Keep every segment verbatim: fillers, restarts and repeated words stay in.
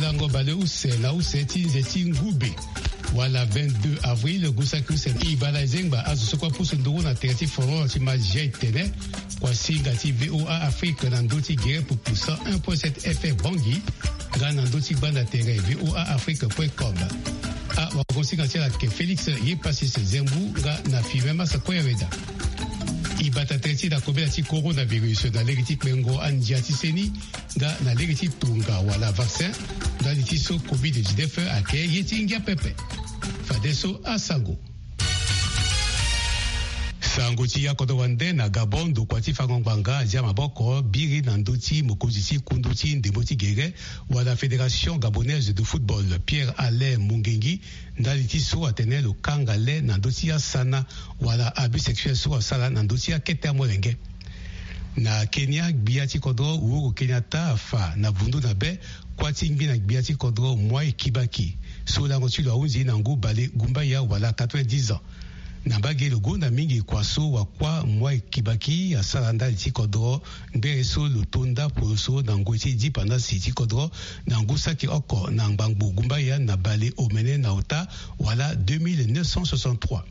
Lango baleuse na use ti nze ti ngube wala vingt-deux avril, gusaki use. Ibala ezengba azo so kue apusu nduru na tere ti folon na ti ma ziai tene kua singa ti VOA Afrique na ndö ti gere pupu cent un point sept F M Bangui, nga na ndö ti gbanda tere VOA Afrique point com. Awagosinga ti ala ayeke Félix Yepasis Zembu nga na Firmin Massa Koyaweda. Ibata tere ti na kobela ti coronavirus na lege ti kpengo andia ti seni nga na lege ti tonga wala vaccin ndali ti so covid dix-neuf ayeke ye ti ngia pepe. Fadeso asango. Sango ti akodro wande na Gabon, ndokua ti fango ngbanga azia maboko biri na ndö ti mokonzi ti kundu ti ndembo ti gere wala Fédération Gabonaise de Football, Pierre Alain Mongengi, ndali ti so atene lo kanga le na ndö ti asana wala abus sexuel so asara na ndö ti akete amolenge. Na Kenya, gbia ti kodro Uhuru Kenyatta afa na vundu na be kuâ ti ngbina gbia ti kodro Mwai Kibaki, so lango ti lo ahunzi na ngu bale gumbaya wala quatre-vingt-dix ans. Na mbage, lo gonda mingi kua so wakuâ Mwai Kibaki asara ndali ti kodro, ngbere so lo to ndapolo so na ngoi ti dipandasi ti kodro na ngu saki oko na ngbangbo gumbaya na bale omene na ota wala deux mille neuf cent soixante-trois.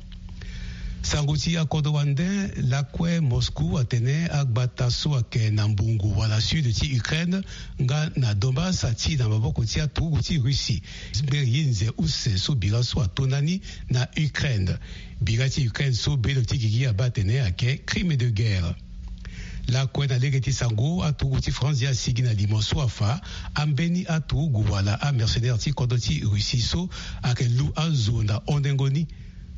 Sango ti akodro wande, lakue Moscou atene agbata so ayeke na mbongo wala sud ti Ukraine nga na Donbass ati na maboko ti aturugu ti Russie. Ngbere ye nze use so bira so ato ndani na Ukraine. Bira ti Ukraine so belo ti gigi abaa atene ayeke crime de guerre. Lakue na lege ti sango, aturugu ti France asigi na limo so afa ambeni aturugu wala amercenaire ti kodro ti Russie so ayeke lu azo na hondengo ni.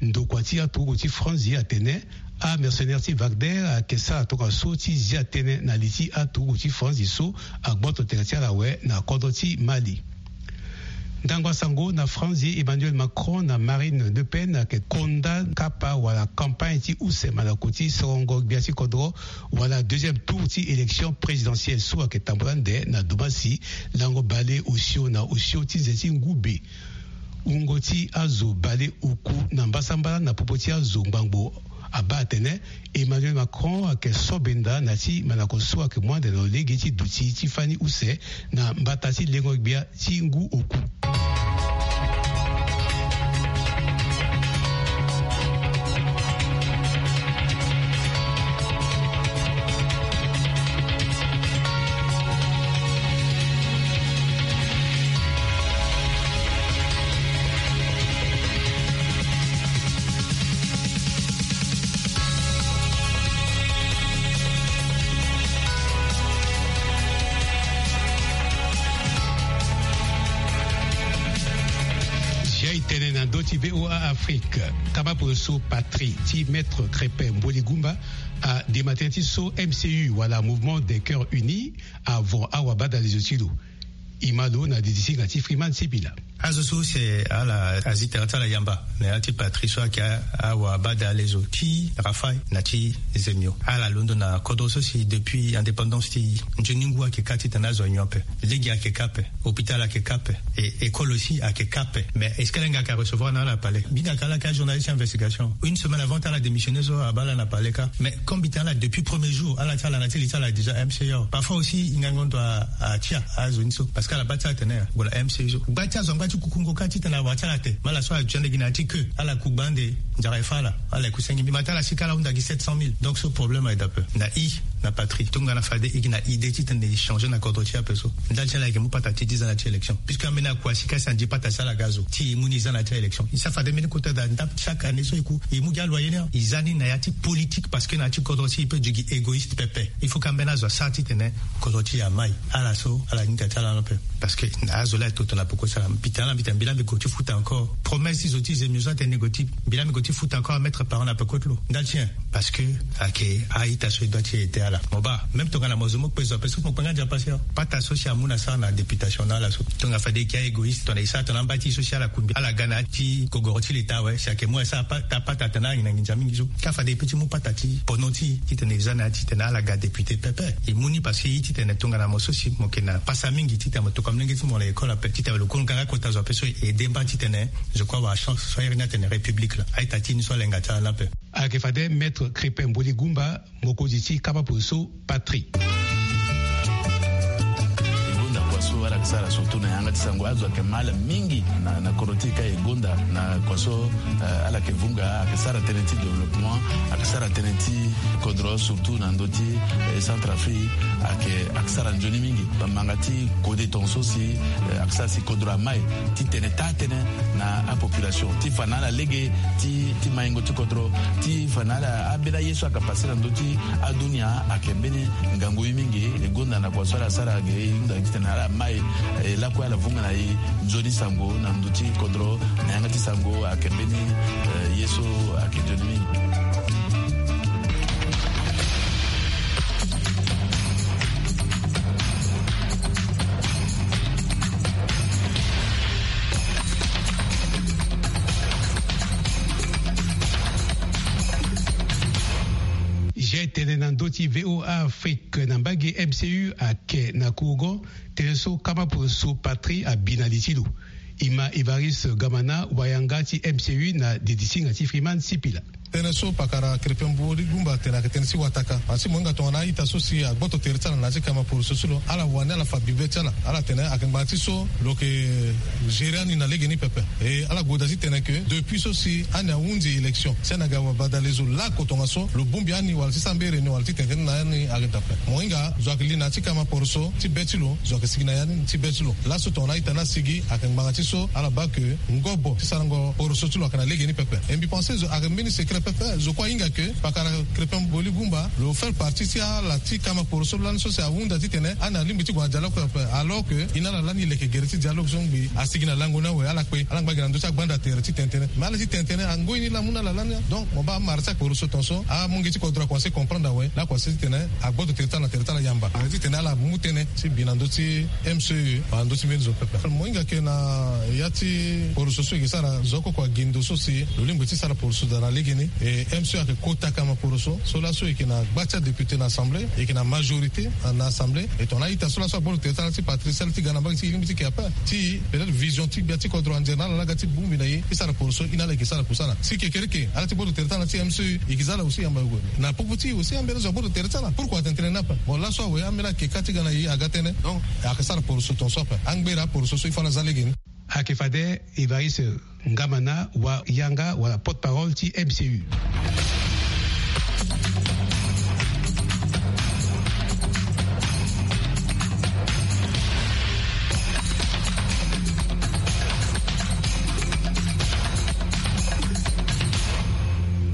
Ndokua ti aturugu ti France atene amercenaire ti Wagner ayeke sara tongaso ti zia tënë na li ti aturugu ti France so agboto tere ti ala awe na kodro ti Mali. Ndango asango na France, Emmanuel Macron na Marine Le Pen ayeke konda kapa wala campagne ti use malako ti sorongo gbia ti kodro wala deuxième tour ti élection présidentielle so ayeke tambula ande na Dombassi, lango bale osio na osio ti nze ti ngube. Wungo ti azo bale oku na mbasambala na popo ti azo ngbangbo abaa atene Emmanuel Macron ayeke so benda na ti malako so ayeke mu ande na lo lege ti duti ti fani use na mbata ti lengo gbia ti ngu oku. Zia e tene na ndö ti VOA Afrique, kama poroso patrie ti Maître Crépin Mboligumba adema tënë ti so M C U wala Mouvement des Cœurs Unis avon awabadalezo ti lo. E ma lo na didi ti nga ti Freeman Sibila. Azo so si ala azi tere ti ala yamba na ya ti patrie so ayeke awabadalezo ti Rafaï na ti Zemio. Ala londo na kodro so si depuis indépendance ti nzoni ngu ayeke kâ titene azo anyon ape. Lege ayeke kâ ape. Hôpital ayeke kâ ape. E école aussi ayeke kâ ape. Mais est-ce que ala hinga ayeke arecevoir na ala na palais? Mbi hinga ayeke ala yeke ajournaliste ti investigation. Une semaine avant ti ala démissionner so abaa ala na palais kâ. Mais comme mbi tene ala depuis premier jour, ala ti ala na ti li ti ala déjà M C U. Parfois aussi hingango ndo a, atia azo ni so. Parce que ala baa ti ala tene ya, gue na M C U so. Gba ti azo angba ti kukungo kâ titene awara ti ala te. Ma ala so azo ti ande gi na ya ti queue. Ala ku gba ande nzara e fâ ala. Ala ku senge mbi ma ti ala si kâ ala hunda gi sept cent mille. Donc so problème aye da ape. Na i, na patrie, tongana fade i gi na idée titene i changer na kodro ti ape so. Ndali ti ala ayeke mu pata ti dix ans na ya ti élection. Puisque ambeni akua si kâ si andi pata ti ala ga zo. Ti i mu ni i za na ya ti élection. I sa fade mbeni kota daa ndap chaque année so i ku. I mu gi aloyer ni. I za ni na ya ti politique parce que na ya ti kodro ti i peut du gi égoïste pepe. Il faut kâ ambeni azo asara titene kodro ti i amai. Ala so, ala hinga ti ala ni ape. Parce que na azo laa aye toto na peko ti ala. Mbi tene ala mbi tene mbi laa mbi gue ti futa encore. Promesse ti zo ti Zemio so atene ni gue ti, mbi laa mbi gue ti futa encore amettre parent na peko ti lo. Ndali ti nyen? Parce que ayeke a-ita so e doit ti ete ala. Mo baa, même tongana mo zo mo kpe zo ape so mo kpe nga Nzapa si. Pata so si amu na sara na députation na ala so. Tongana fade e yeke a-égoïste, tongana e sara tongana amba ti e so si ala kungbi ala ga na ya ti gogoro ti leta awe, si ayeke mu asara pata, pata atene ala nginza mingi so. Kâ fade e peut ti mu pata ti pono ti e titene e za na ya titene ala ga député pepe. E mu ni parce que e titene tongana mo so si mo yeke na pasa mingi titene mo tokua molenge ti mo na école ape, titene lo kue lo ga nga kota zo ape so e aidé mba titene, je crois, awara chance so ahiri ni atene République laa. A-ita ti e ni so alenga ti ala ni ape. Ayeke fade Maître Crépin Mboligumba, mokonzi ti kapa poroso patrie. E gonda kua so Ala yeke sara surtout na yanga ti sango, azo ayeke ma ala mingi na, na kodro ti e ka e gonda na kua so, eh, ala yeke vunga, ayeke sara tënë ti développement, ayeke sara tënë ti kodro, surtout na ndö ti, eh, Centrafrique, ayeke, ayeke sara nzoni mingi. Bamanga ti kode tongaso si, eh, ayeke sara si kodro amai ti tene taa tënë na apopulation ti fa na ala lege ti, ti maingo ti kodro, ti fa na ala ambeni aye so ayeke pase na ndö ti adunia, ayeke mbeni ngangu ye mingi. E gonda na kua so ala sara ge, e hunda titene ala mai, eh, lakue ala vunga na e nzoni sango na ndö ti kodro, na yanga ti sango ayeke mbeni, eh, ye so ayeke nzoni mingi. Zia e tene na ndö ti V O A Afrique, na mbage M C U ayeke na Kourgon, tënë so kama poroso Patrie abi na li ti lo. E ma Évariste Gamana, wayanga ti M C U na didisinga ti Freeman Sipila. Tënë so pakara Krépin Boubacar Gumba atene ayeke tënë ti wataka. Asi mo hinga tongana a-ita so si agboto tere ti ala na ya ti kama poroso so lo, ala wani ala fa bibe ti ala. Ala tene ayeke ngbanga ti so lo yeke gérer ani na legeni pepe. E ala goda titene ke depuis so si ani ahunzi élection, si ani aga wabadale zo lako tongaso, lo bongbi ani wala ti sara mbeni réunion wala ti tene tënë na ani ayeke daa ape. Mo hinga zo ayeke li na ya ti kama poroso ti be ti lo, zo ayeke sigi na ya ni ti be ti lo. Laso tongana a-ita ni asigi, ayeke ngbanga ti so ala baa ke ngobo ti sarango poroso ti lo ayeke na legeni pepe. E mbi pense zo ayeke mbeni secret pepe, zo kue ahinga ke pakara Krépin Boubacar Gumba lo faire partie ti ala ti kama poroso lani so si ahunda titene ani alingbi ti gue na dialogue pepe, alors que e na ala lani e leke gere ti dialogue so ngbi asigi na lango ni awe. Ala kpe, ala ngba gi na ndö ti agbanda tere ti tene tënë. Mais ala ti tene tënë, angoi ni laa amu na ala lani. Donc mo baa amara ti akporoso tongaso, amonge ti kodro akomanse comprendre awe. Laa akomanse titene agboto tere ti ala na tere ti ala yamba. Ala titene ala mu tënë ti bi na ndö ti M C U wala ndö ti mbeni zo pepe. Mo hinga ke na ya ti poroso so e yeke sara, zo oko oko agi ndo so si lo lingbi ti sara poroso daa na legeni. E M C U ayeke kota kama poroso so laso e yeke na gba ti adéputé na assemblée, e yeke na majorité na assemblée. E tongana a-ita so laso agboto tere ti ala ti Patrie, ti ga na mbage ti e, e lingbi ti ke ape. Ti peut-être vision ti gbia ti kodro anzere na ala laa aga ti bongbi na e ti sara poroso, e na ala e yeke sara kusala. Si kekereke ala ti gboto tere ti ala ti M C U e yeke za ala aussi yamba yogo. Na popo ti e aussi ambeni azo agboto tere ti ala. Pourquoi atene tënë ni ape? Bon, laso awe ambeni ayeke ka ti ga na e aga tënë. Donc ayeke sara poroso tongaso ape. Angbera poroso so il faut ala za legeni. Ayeke fade Évariste Ngamana, wayanga wala porte-parole ti M C U.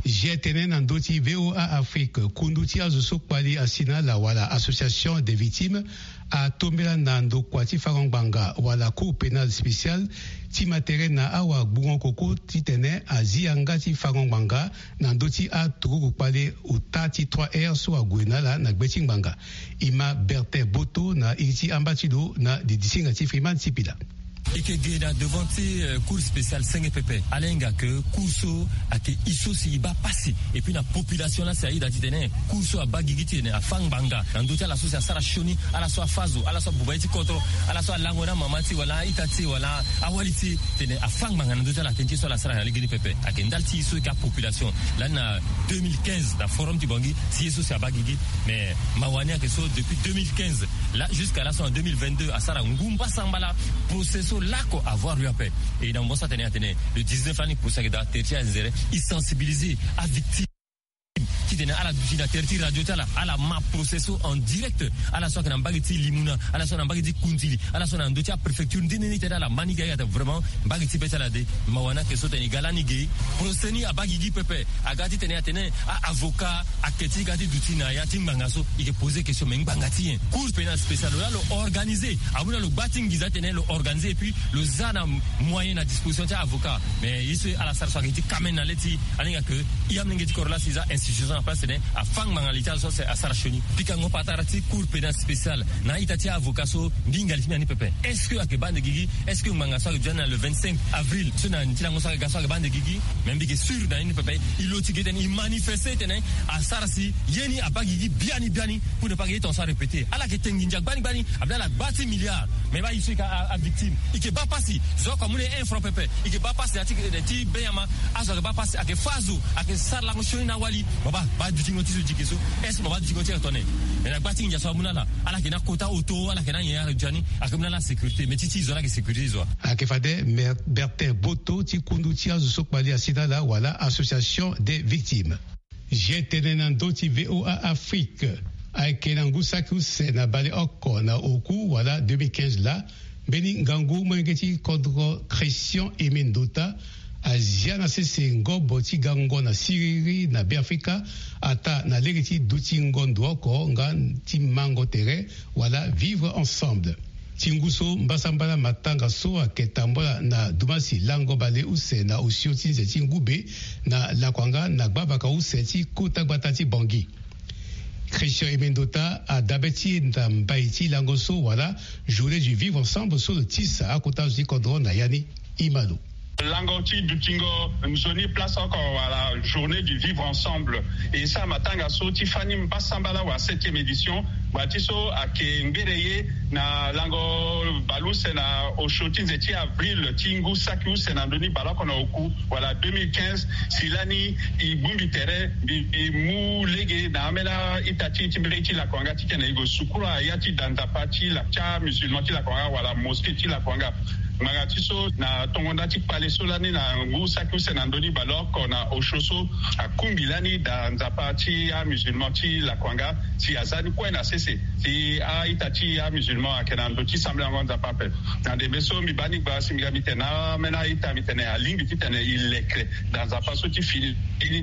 Zia e tene na ndö ti V O A Afrique, kundu ti azo so kpali asi na ala wala association des victimes atombela na ndokua ti fango ngbanga wala Cour pénale spéciale ti ma tere na awagbungo koko titene azi yanga ti fango ngbanga na ndö ti aturugu kpale ota ti trois R so ague na ala na gbe ti ngbanga. E ma Bertin Boto na iri ti amba ti lo na didisinga ti Freeman Sipila. E yeke ge na devant ti, euh, Cour spéciale senge pepe. Ala hinga ke Cour so ayeke e so si e baa pasi. Et puis na population laa si aye daa titene Cour so abaa gigi titene afâ ngbanga na ndö ti ala so si asara sioni, ala so afâ zo, ala so abuba ye ti kodro, ala so alango na amama ti e wala a-ita ti e wala awali ti e, titene afâ ngbanga na ndö ti ala. Tënë ti e so ala sara na legeni pepe. Ayeke ndali ti e so e yeke apopulation. Lani na deux mille quinze na forum ti Bangui, si ye so si abaa gigi. Mais mawa ni ayeke so depuis deux mille quinze laa jusqu'à laso na deux mille vingt-deux asara ngu mbasambala procès so lako avoir lieu ape. Et na mo so atene atene le dix-neuf lani procès ayeke daa, tere ti anzere e sensibiliser avictime titene ala duti na tere ti radio ti ala, ala ma procès so en direct. Ala so ayeke na mbage ti Limuna, ala so na mbage ti Kundili, ala so na ndö ti apréfecture nde nde ni tene ala ma ni ge. Ayeke daa vraiment mbage ti be ti ala de. Mawa ni ayeke so tene e ga lani ge. Procès ni abaa gigi pepe. Aga titene atene a-avocat ake ti ga ti duti na ya ti ngbanga so. E yeke poser question, mais ngbanga ti nyen? Cour pénale spéciale lo laa lo organiser. Amu na lo gba ti nginza titene lo organiser et puis lo za na moyen na disposition ti a-avocat. Mais ye so ala sara so ayeke ti kamen na le ti ala hinga ke e amolenge ti kodro laa si e za institution na place titene afâ ngbanga li ti ala so si asara sioni. Pikango patara ti Cour pénale spéciale na a-ita ti a-avocat so, mbi hinga li ti mbi na ni pepe. Est-ce que ayeke baa ande gigi? Est-ce que ngbanga so ayeke duti na le vingt-cinq avril so na ni ti lango so ayeke ga so ayeke baa ande gigi? Mais mbi yeke sûr na ni pepe. E lo ti ge titene e manifester titene asara si ye ni abaa gigi biani biani. Pour ne pas que ye tongaso arépéter. Ala yeke te nginza gbani gbani. Abla ala gba ti milliard. Mais baa e so e yeke a, avictime, e yeke baa pasi. Zo oko amu na e un franc pepe. E yeke baa pasi na ya ti, ti benyama. Azo ayeke baa pasi, ayeke fâ azo, ayeke sara lango sioni na awali. Baba. Baa dutingo ti so diki so, est-ce que mo baa dutingo ti ala tone? Mais na gba ti nginza so amu na ala, ala yeke na kota oto, ala yeke na nyen, ala duti ani ayeke mu na ala sécurité, mais ti ti zo ala yeke sécurité ti zo. Ayeke fade Bertin Boto ti kundu ti azo so kpali asi na ala wala association des victimes. Ye tene na ndö ti VOA Afrique. Ayeke na ngu saki use na baleoko na oku wala deux mille quinze laa, mbeni ngangu molenge ti kodro Christian Aimé Ndota azia na sese ngobo ti gango na siriri na Beafrika, ataa na lege ti dutingo ndo oko nga ti mango tere wala vivre ensemble. Ti ngu so mbasambala matanga so ayeke tambula na dumasi lango baleuse na osio ti nze ti ngu be na Lakuanga na gbavaka use ti kota gbata ti Bangui. Christian Aimé Ndota adabe ti e na mbai ti lango so wala journée du vivre ensemble so lo tisa akota zo ti kodro na ya ni. Imalo. Lango ti dutingo nzoni place oko wala journée du vivre ensemble. E sara matanga so ti fani mbasambala wala septième édition. Ngbanga ti so ayeke ngbere ye na lango baleuse na osio ti nze ti avril ti ngu saki use na ndö ni baleoko na oku wala deux mille quinze. Si lani e bongbi tere mbi, mbi mu lege na ambeni a-ita ti e ti mbege ti Lakuanga titene e gue sukura ya ti da nzapa ti la, ti amusulman ti Lakuanga wala mosquée ti Lakuanga. Ngbanga ti so na tongo nda ti kpale so lani na ngu saki use na ndö ni baleoko na osio so akungbi lani da nzapa ti amusulman ti Lakuanga si aza ni kue na sese. Si a-ita ti amusulman ayeke na ndo ti sambelango nzapa ape. Na ndembe so mbi baa ni gbaa si mbi ga mbi tene na ambeni a-ita mbi tene alingbi titene e leke da nzapa so ti fini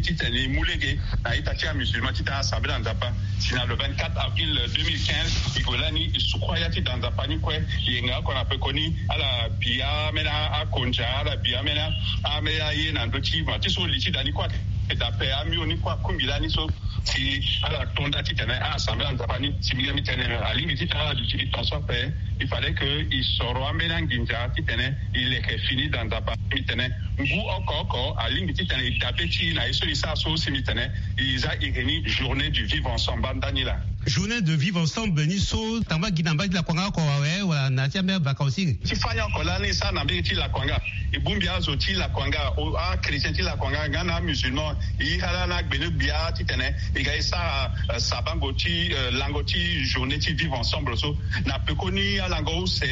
titene e mu lege na a-ita ti amusulman titene asambela nzapa. Si na le vingt-quatre avril deux mille quinze e gue lani e sukura ya ti da nzapa ni kue. E yenga oko na pekoni ala bi ambeni akondia, ala bi ambeni a, ambeni aye na ndö ti ma ti so li ti da ni kue ayeke da ape, amio ni kue akungbi lani so. Si ala to nda titene ala sambela nzapa ni, si mbi ga mbi tene alingbi titene ala duti li tongaso ape. Il fallait que e soro ambeni anginza titene e leke fini da nzapa. Mbi tene ngu oko oko alingbi titene e dabe ti e na ye so e sara so, si mbi tene e za iri ni journée du vivre ensemble. Banda ni laa. Journée de vivre ensemble ni so tamba gi na mbage ti Lakuanga oko awe wala na ya ti ambeni avaka aussi? Ti fani oko lani e sara na mbage ti Lakuanga. E bongbi azo ti Lakuanga, achrétien ti Lakuanga nga na amusulman. E iri ala na agbene-gbia titene e ga e sara, eh, sabango ti, eh, lango ti journée ti vivre ensemble so. Na pekoni alango use,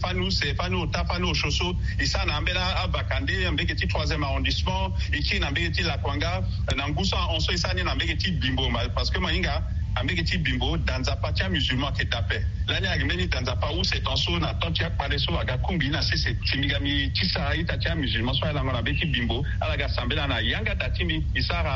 fani use, fani ota, fani osio so e sara na ambeni avaka nde na mbage ti troisième arrondissement, e kiri na mbage ti Lakuanga. Na ngu so ahon so e sara ni na mbage ti Bimbo, ma, parce que ma hinga na mbage ti Bimbo da nzapa ti amusulman ayeke da ape. Lani ayeke mbeni da nzapa use tongaso na temps ti akpale so aga kungbi na sese. Si mbi ga mbi tisa a-ita ti amusulman so alango na mbage ti Bimbo, ala ga sambela na yanga da ti mbi. E sara,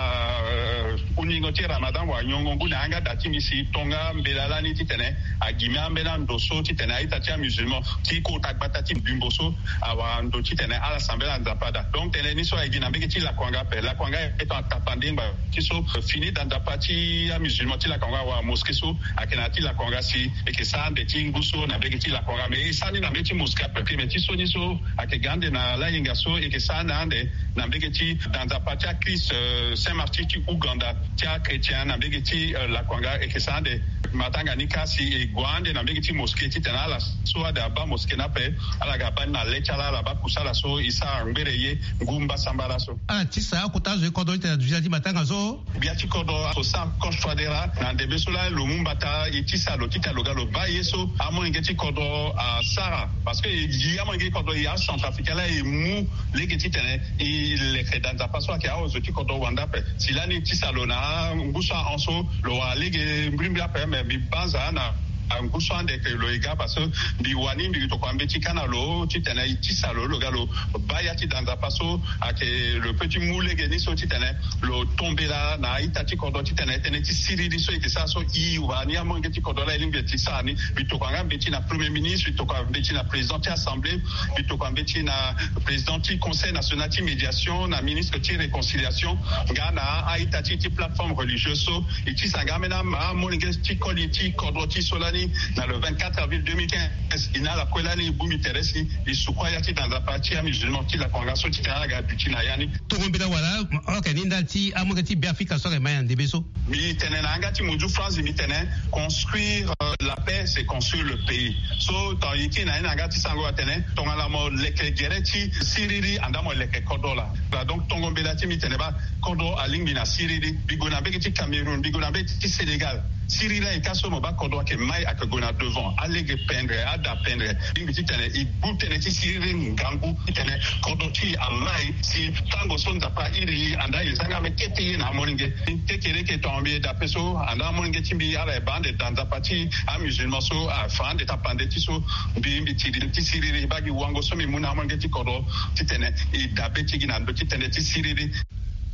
eh, huningo ti Ramadan wala nyongo ngu na yanga da ti mbi si e to nga mbela lani titene agimi ambeni ando so titene a-ita ti amusulman ti kota gbata ti Bimbo so awara ndo titene ala sambela nzapa daa. Donc tënë ni so ayeke gi na mbage ti Lakuanga ape. Lakuanga ayeke tongana tapande ngbanga ti so fini da nzapa ti amusulman ti Lakuanga wala mosquée so ayeke na ya ti Lakuanga si e yeke sara ande ti ngu so na mbage ti Lakuanga. Mais e sara ni na mbage ti mosquée ape, mais ti so ni so ayeke ga ande na layenga so e yeke sara ni ande na mbage ti da nzapa ti achrist, eh, Saint Martin ti Ouganda, ti achrétien na mbage ti, eh, Lakuanga, e yeke sara ande. Matanga ni kâ si e gue ande na mbage ti mosquée titene ala so ade abaa mosquée ni ape, ala ga baa ni na le ti ala, ala baa kusala so e sara ngbere ye ngu mbasambala so. Ala tisa akota azo ti kodro titene aduti na ya ti matanga so. Gbia ti kodro José Ancoche Touadéra, na ndembe so laa lo mu mbata e tisa lo titene lo ga lo baa ye so amolenge ti kodro asara. Parce que e gi amolenge ti kodro, e acentrafricain laa e mu lege titene e leke da nzapa so ayeke azo ti kodro wande ape. Si lani e tisa lo na ngu so ahon so, lo wara lege mbrimbri ape, me mbi banza na ngu so ande ke lo e ga, parce que mbi wani mbi tokua mbeti kâ na lo titene e tisa lo, lo ga lo baa ya ti da nzapa so ayeke lo peut ti mu lege ni so titene lo to mbela na a-ita ti kodro titene tënë ti siriri so e yeke sara so e wara ni amolenge ti kodro laa e lingbi e ti sara ni. Mbi tokua nga mbeti na premier ministre, mbi tokua mbeti na président ti assemblée, mbi tokua mbeti na président ti conseil national ti médiation, na ministre ti réconciliation, nga na a-ita ti e ti plateforme religieuse so e tisa nga ambeni amolenge ti koli ti kodro ti so lani Na le vingt-quatre avril deux mille quinze, e na ala kue lani e bongbi tere si e sukua ya ti da nzapa ti amusulman ti lakonga so ti tene ala ga duti na ya ni. Tongo mbela wala, ayeke ni ndali ti amolenge ti Beafrika so ayeke ma ya ndembe so. Mbi tene na yanga ti munzu France, mbi tene construire, euh, la paix, c'est construire le pays. So tongana e kiri na ye na yanga ti sango atene tongana mo leke gere ti siriri, andaa mo leke kodro laa. Donc tongo mbela ti mbi tene baa kodro alingbi na siriri. Mbi gue na mbege ti Cameroun, mbi gue na mbege ti Sénégal. Siriri ayeke ka so mo baa kodro ayeke mai, ayeke gue na devant. Alege pendre, ada pendre. Alingbi ti tene e gbu tënë ti siriri ngangu ti tene kodro ti e amai si tango so nzapa airi e, andaa e zanga me kete ye na amolenge. Kekereke tonga mbi ye dape so, andaa amolenge ti mbi ala e baa ande da nzapa ti amusulman so afa ande tapande ti so. Mbi, mbi tiri ti siriri baa gi wango so mbi mu na amolenge ti kodro ti tene e dabe ti gi na ndö ti tënë ti siriri.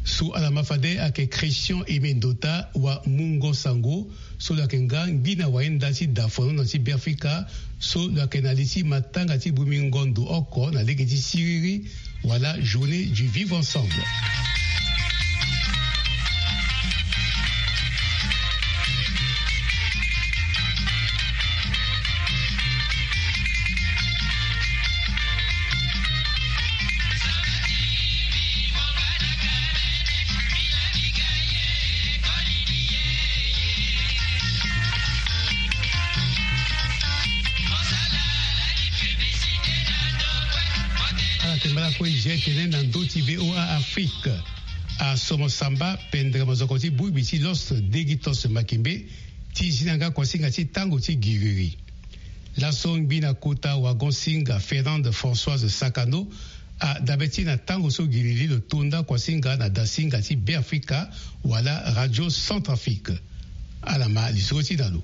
So ala ma fade ayeke Christian Aimé Ndota wa Mungo Sango, so lo yeke nga ngbina wayenda ti da fono na ti Beafrika, so lo yeke na li ti matanga ti bongbi ngondo oko na lege ti siriri, wala journée du vivre ensemble. Ala yeke mbala kue e zia tene na ndö ti V O A Afrique. Asomo samba pendere mozoko ti bongbi ti Lost Degithost Makembe ti zi na yanga kuasinga ti tango ti giriri. Laso ngbina kota wagon-singa Fernande Françoise Sakano adabe ti na tango so giriri lo tonda kuasinga na dasinga ti Beafrika wala Radio Centrafrique. Ala ma lisoro ti na lo.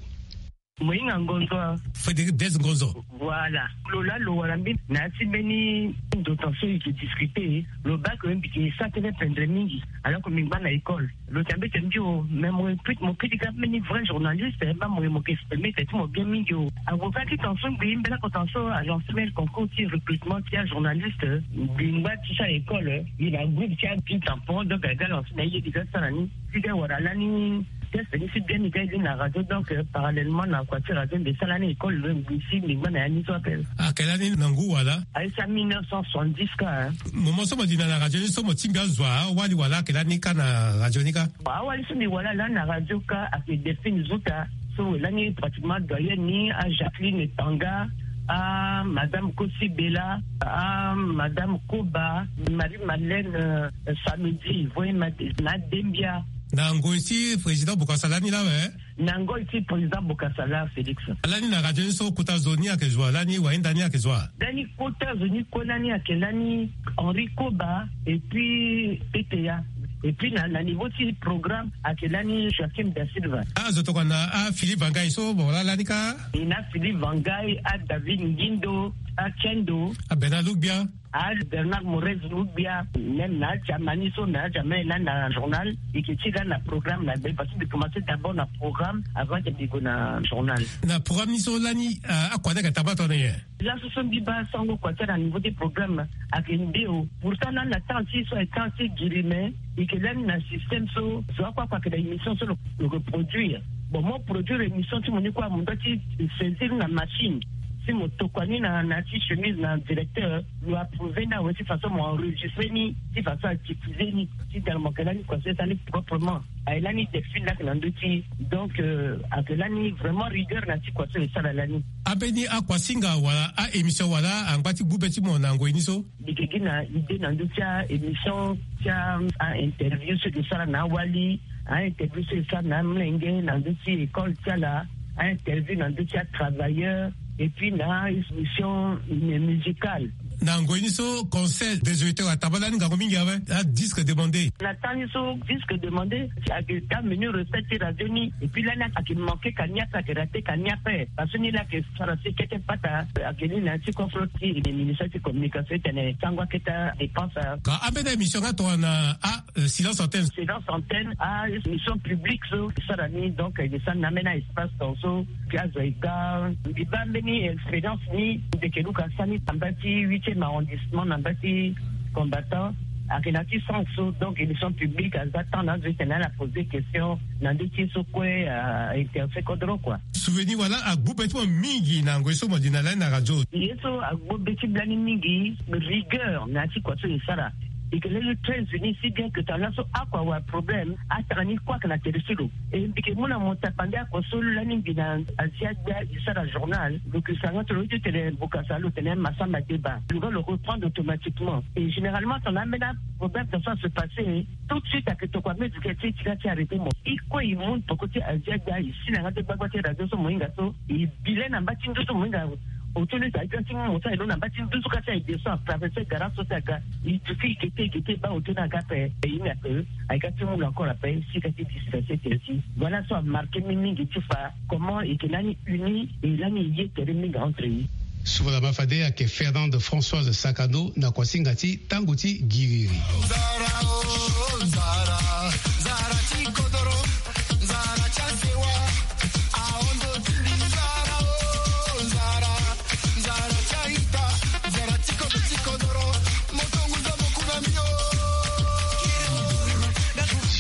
Moyinga Ngonzo. Frédéric Blaise Ngonzo. Voilà. Lo laa lo wara mbeni na ya ti mbeni ndo tan so e yeke discuter, lo baa ke mbi yeke sara tënë pendre mingi. Alors que mbi ngba na école. Lo tene mbeti mbi o, mais mo, mo kiri ga mbeni vrai journaliste, eh, baa mo, mo yeke exprimer tene ti mo bien mingi o. Avocat ti tan so ngbii mbela oko tan so a lancer mbeni concours ti recrutement ti ajournaliste. Mbi ngba ti sara école, eh, mbi na groupe ti api tampon, donc aga lancer na ye mbi ga sara ni. Ti ga wara lani test ni si bien mbi ga ye ni na radio, donc, euh, parallèlement na kua ti radio mbi sara lani école, lo ngbii si mbi ngba na ya ni so ape. Ayeke lani na ngu wala? Aye si a mille neuf cent soixante-dix ka, hein. Moment so mo di na na radio ni so mo tingbi azo wa, awali wala ayeke lani ka na radio ni ka? Awali so mbi wara lani na radio ka ayeke Delphine Zuta, so lani pratiquement doyenne ni, a Jacqueline Tanga, a Madame Kosi Bella, a Madame Koba, Marie Madeleine, euh, Samedi, Voye Made, na Dembia. Na ngoi ti président Bokassa lani laa awe? Na ngoi ti président Bokassa laa, Félix. Lani na radio ni so kota zo ni ayeke zo wa, lani wayenda ni ayeke zo wa? Lani kota zo ni kue lani ayeke lani Henri Koba et puis P T A. Et puis na, na niveau ti programme ayeke lani Joachim da Silva. Ah, zo tokua na, ah, Philippe Vangai so, bon, laa lani ka? E na Philippe Vangai, ah, David Ngindo, ah, Kendo. Ah, Bernard Lougbia. Ah, Bernard Morez Lougbia, même na Germany so, na Germany lani na journal, e yeke ti lani na programme na be, parce que mbi commencer d'abord na programme avant que mbi gue na journal. Na programme ni so lani, ah, akua ni ayeke tabaa tongana nyen? Laso so mbi baa sango kua ti ala na niveau ti programme ayeke nde o. Pourtant lani na temps ti so ayeke temps ti giri, mais e yeke lani na système so zo akua kua ayeke na émission so lo, lo yeke produire. Bon, mo produire émission ti mo ni kue, mo doit ti saisir na machine. Si mo tokua ni na, na ti chemise na directeur, lo approuver ni awe ti façon mo enregistrer ni, ti façon a diffuser ni. Ti tene mo yeke lani kua so e sara ni proprement. Aye lani Delphine laa ayeke na ndö ti. Donc, euh, ayeke lani vraiment rigueur na ti kua so e sara lani. Ambeni akuasinga wala a-émission wala angba ti gbu be ti mo na ngoi ni so? Mbi yeke gi na idée na ndö ti a-émission ti a, a-interview so e sara na awali, a-interview so e sara na amolenge na ndö ti école ti ala, a-interview na ndö ti atravailleur, et puis na émission musicale. Na ngoi ni so, Conseil des auditeurs ataba lani ngangu mingi awe, adisque demandé. Na temps ni so disque demandé, ayeke ga menu recette ti radio ni, et puis lani ayeke manqué ka ni ape, ayeke raté ka ni ape. Parce que ni laa ayeke sara si kete pata, ayeke ni na ya ti kofro ti ministère ti communication ti tene sango akete adépense. Ka ambeni émission nga tongana, ah, euh, silence antenne. Silence antenne, ah, émission publique so e sara ni, donc e sara ni na ambeni espace ton so, mbi azo e ga. Mbi baa mbeni expérience ni, mbi yeke luka sara ni na mbage ti huitième arrondissement, na mbage ti Combattant. Ayeke na ya ti sens so, donc émission publique aza temps na azo etene ala poser question na nde ti ye so kue a intéressé kodro kua. Souvenir wala agbu be ti mo mingi na ngoi so mo li na lani na radio. Ye so agbu be ti bla ni mingi, rigueur na ya ti kua so e sara. E ke lele très unis, si bien que tanga so akua wa problème atanga ni kue ake na tere ti lo. E mbi ke mu na mo tapande akua so lani mbi na Asia gbia e sara journal, lo ke sara nga tene lo ti tene bokasa lo tene masamba deba lo ga lo reprendre automatiquement. Et généralement tanga ambeni aproblème tanga so ase passer tout de suite ake tokua mezike ti e ti ga ti arrêter mo. E kue e mu poko ti Asia gbia e si na nga ti gbagba ti radio so mo hinga so e bi le na mba ti nduzu mo hinga auto ni sa e ga ti mu mo so aye lo na mba ti nduzu ka si aye descend atraverser garage so si aga. E duti e gete e gete e baa auto ni aga ape e hinga ape. Aye ka ti mu lo encore ape si ka ti disperser tere ti. Voilà so amarqué mbi mingi ti fa comment e ke lani uni e lani e ye tere mingi entre e. Subalama fade ayeke Fernande Françoise Sakano na kuasinga ti tango ti giriri.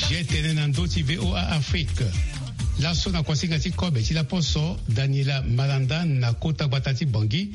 G T N na ndö ti V O A Afrique. Laso na kuasinga ti kobe ti laposo, Daniela Malanda na kota gbata ti Bangui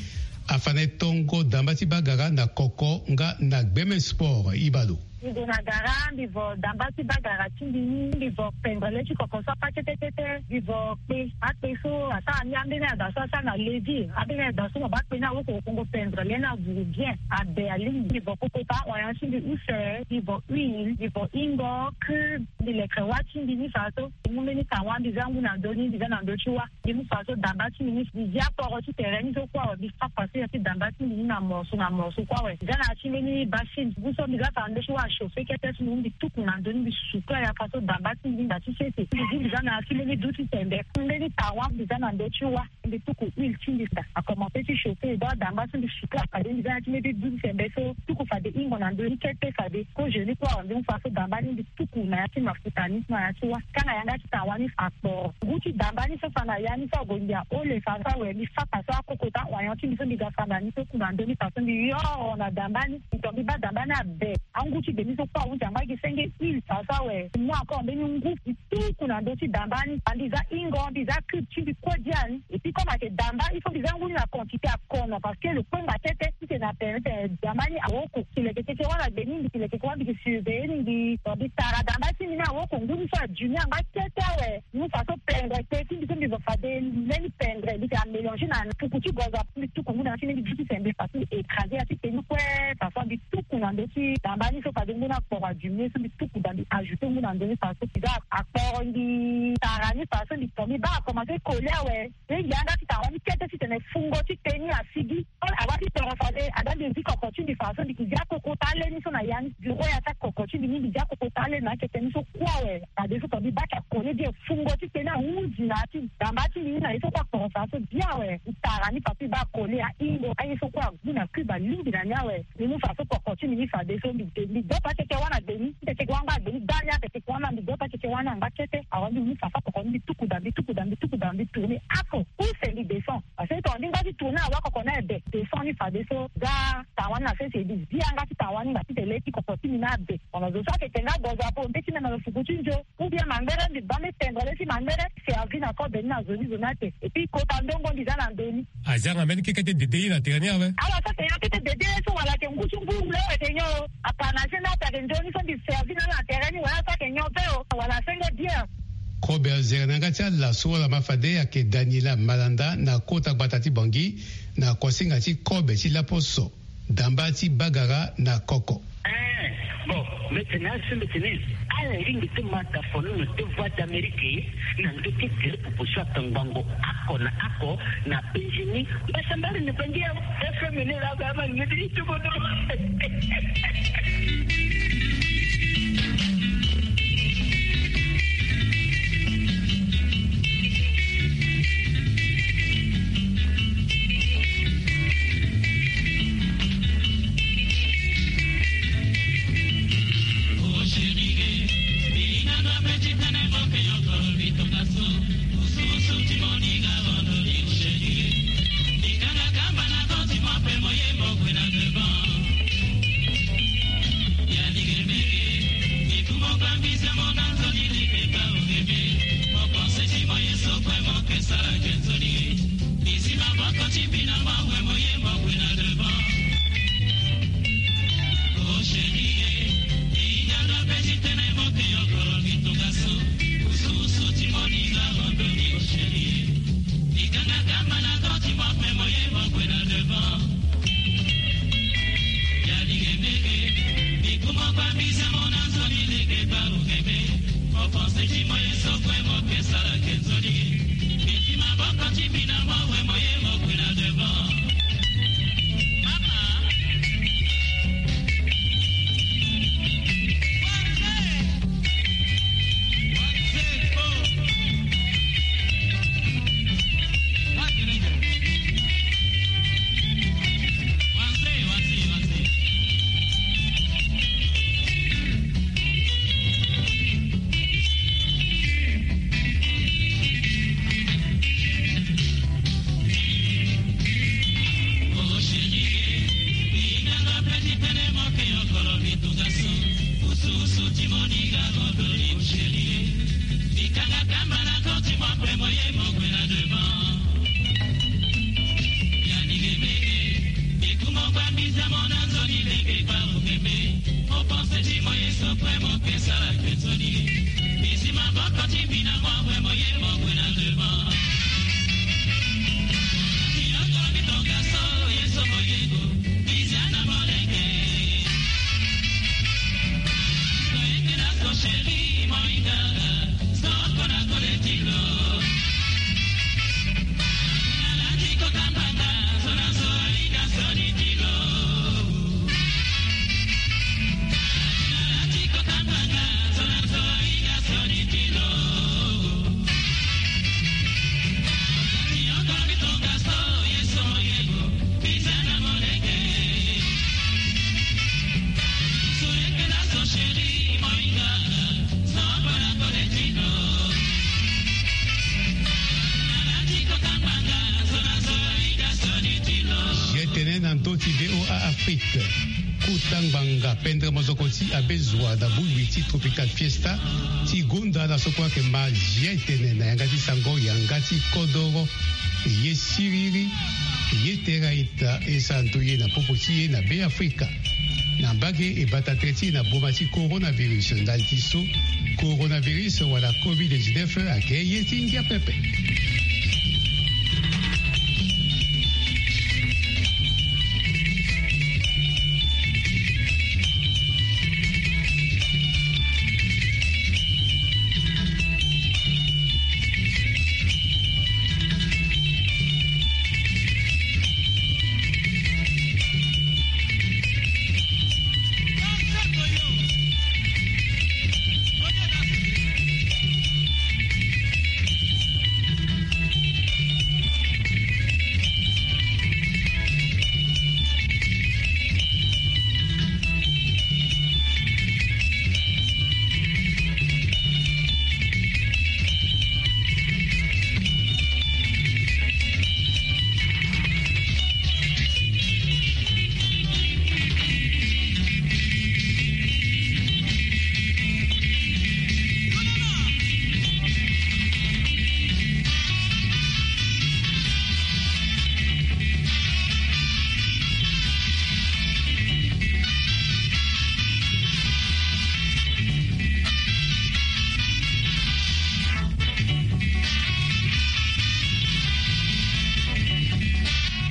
afa na e tongo damba ti bagara na koko nga na gbeme sport. Ibalo. Mbi gue na gara, mbi vo damba ti bagara ti mbi ni, mbi vo pendre le ti koko so apa kete kete, mbi vo kpe. Akpe so asara ni ambeni ada so asara na levi, ambeni ada so mo baa kpe ni awoko, okongo pendre le ni avuru bien, abe alingbi. Mbi vo koko pa oyan ti mbi use, mbi vo huile, mbi vo ingo, cube, mbi leke wa ti mbi ni fa so. Mu mbeni tangwa mbi za ngu na ndö ni, mbi za na ndö ti wa. Mbi mu fa so damba ti mbi ni, mbi zia kporo ti tere ni so kue awe, mbi fa façon ya ti damba ti mbi ni na morceau na morceau kue awe. Mbi za na ya ti mbeni bassine, ngu so mbi za fa na ndö ti wa achauffer kete so mbi mu mbi tuku na ndö ni, mbi suka ya fa so damba ti mbi ni da ti sese. Mbi zi mbi za na ya ti mbeni du ti sembe, mbeni tangwa mbi za na ndö ti wa. Mbi tuku huile ti mbi da, akomanse ti chauffer, e dua damba so mbi suka fade mbi za na ya ti mbeni du ti sembe so tuku fade ingo na ndö ni kete fade. Kozoni kue awe mbi mu fa so damba ni mbi tuku na ya ti mafuta ni na ya ti wa. Kanga yanga ti tangwa ni akporo. Ngu ti damba ni so fa na ya ni so ague mbi aole fa so awe mbi fa fa so akokota oignon ti mbi so mbi ga fa na ni so ku na ndö ni fa so mbi yoro na damba ni. Mbi to mbi baa damba ni abe. Angu ti be ni so kue ahunzi angba gi senge huile fa so awe. Mbi mu encore mbeni ngu mbi tuku na ndö ti damba ni. Mbi za ingo, mbi za cube ti mbi kue dia ni. Et puis comme ayeke damba, il faut mbi za ngu ni na quantité akono parce que lo kpengba tete. Titene ape tene damba ni awoko. Mbi leke keke wâ na gbe ni, mbi leke keke wâ, mbi ke surveiller ni, mbi, mbi tara damba ti mbi ni awoko ngu ni so adimi angba kete awe. Mu fa so pendre kpe ti mbi so mbi zo fade mbeni pendre mbi ke amélanger na puku ti gozo ape, mbi tuku ngu na ya ti mbeni du ti sembe fa so mbi écraser ya ti tenu kue. Fa so mbi tuku na ndö ti damba ni so fade ngu ni akporo adimi so mbi tuku da mbi ajouter ngu na ndö ni fa so mbi za akporo mbi tara ni fa so mbi to mbi baa akomanse coller awe. Mbi yanga ti tara ni kete titene fungo ti tenu asigi. Awa ti toro fade ada mbi zi koko ti mbi fa so mbi ke zia koko ta le ni so na ya ni. Bureau ya ti akoko ti mbi ni mbi zia koko ta le na akete ni so kue awe. Fadeso to mbi baa ti akole bien fungo ti tenu ahunzi na ya ti damba ti mbi ni na ye so kue akoro fa so bien awe. Mbi tara ni fa so mbi baa akole ahingo aye so kue agu na cube alingbi na ni awe. Mbi mu fa so koko ti mbi ni fadeso mbi de mbi dopa keke wâ na gbe ni. Keke wâ angba gbe ni gbani akeke wâ na mbi dopa keke wâ na angba kete. Awa mbi mu fa so koko ni mbi tuku da mbi tuku da mbi tuku da mbi tourner ako. Use mbi descend. Parce que to ndingba ti tourner awa koko ni abe. Descend ni fadeso ga tangwa ni na sese mbi zi yanga ti tangwa ni nga titene le ti koko ti mbi ni abe. Ono zo so ayeke nga gozo apo mbe ti mbi na lo fuku ti nzo. Ou bien mangbere mbi baa mbi tendre le ti mangbere. Servi na kobe ni na zo ni zo ni ate. Et puis kota ndongo mbi za na ndö ni. Aza nga mbeni keke ti dede ye na tere ni awe. Ala so ayeke nyon kete dede ye so wala ayeke ngu ti ngu wule ayeke nyon o. Apa na se ni ape ayeke nzoni so mbi servi na ala na tere ni wala so ayeke nyon pe o wala senge bien. Kobe azere na yanga ti ala so wala ma fade ayeke Daniela Malanda na kota gbata ti Bangui na kuasinga ti kobe ti laposo. Damba ti bagara na koko. Eh, bon, mbi tene asi mbi tene ala lingbi ti ma dafono na deux voix d'Amérique na ndö ti tere popo so atongbango ako na ako na penzi ni. Mbasambari ni bangi ya F M ni la ga ma ngedi ti kodro. Ye tene na ndö ti V O A Afrique. Kota ngbanga pendre mozoko ti abe zua na bongbi ti Tropical Fiesta ti gonda na so kue ayeke ma ye tene na yanga ti sango yanga ti kodoro. Ye siriri, ye tera ita e sara ndoye na popo ti e na Be Afrika. Na mbage e bata tere ti e na boma ti coronavirus ndali ti so coronavirus wala covid dix-neuf ayeke ye ti ngia pepe.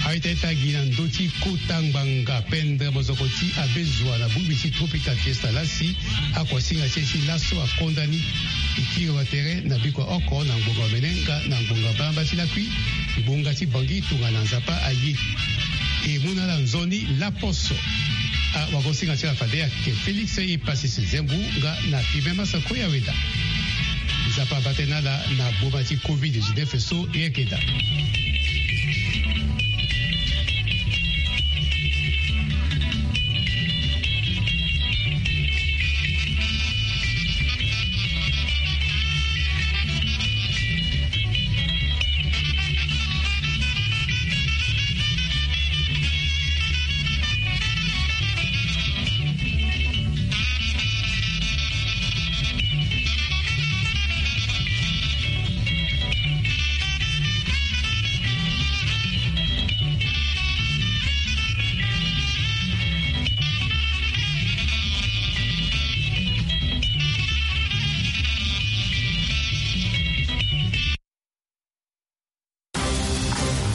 Aita ita gi na ndö ti kota ngbanga pendre mozoko ti abe zua na bongbi ti Tropical Fiesta lasi. Akuasinga ti e ti laso akonda ni. E kiri wa tere na bikua oko na ngbonga omene nga na ngbonga mbalambala ti lakui. Ngbonga ti Bangui tongana Nzapa aye. E mu na ala nzoni laposo. Awagosinga ti ala fade ayeke Félix Epasis Zembu nga na Fibe Masako ya weda. Nzapa abate na ala na boma ti covid dix-neuf so e yeke daa.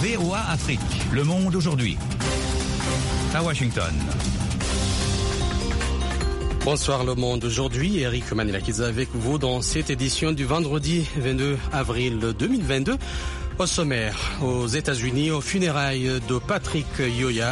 V O A Afrique, le monde aujourd'hui. À Washington. Bonsoir le monde. Aujourd'hui, Eric Manilakis avec vous dans cette édition du vendredi vingt-deux avril deux mille vingt-deux. Au sommaire, aux États-Unis, au funérailles de Patrick Yoya,